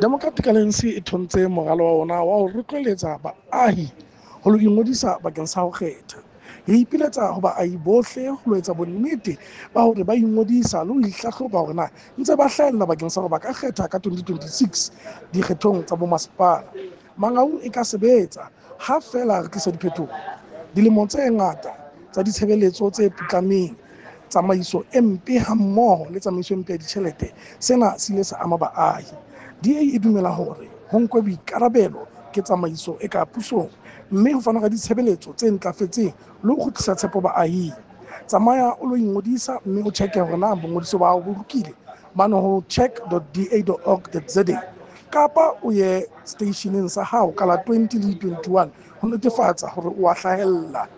Democratic Alliance e thontse moralo wa ona wa ho rotloeletsa baahi ho lo ingodisa bakeng sa ho kgetha. Re ipiletsa ho baahi bohle ho lo etsa bonnete ba hore ba ingodisa le ho ihlahloba hore na ntse ba hlahella bakeng sa hore ba ka kgetha ka 2026 dikgethong tsa bomasepala. Mangaung e ka sebetsa ha feela re tlisa diphetoho. Dilemo tse ngata tsa ditshebeletso tse putlameng, tsamaiso e mpe hammoho le tsamaiso e mpe ya ditjhelete, sena se ile sa ama baahi. DA e dumela hore ho nkwe boikarabelo ke tsamaiso e ka pusong, mme ho fanwa ka ditshebeletso tse ntlafetseng le ho kgutlisa tshepo baahing. Tsamaya o lo ingodisa mme o check-e hore na bongodiso ba hao bo lokile mane ho check.da.org.za, kapa o ye seteisheneng sa hao ka la 20 le 21 ho netefatsa hore o a hlahella.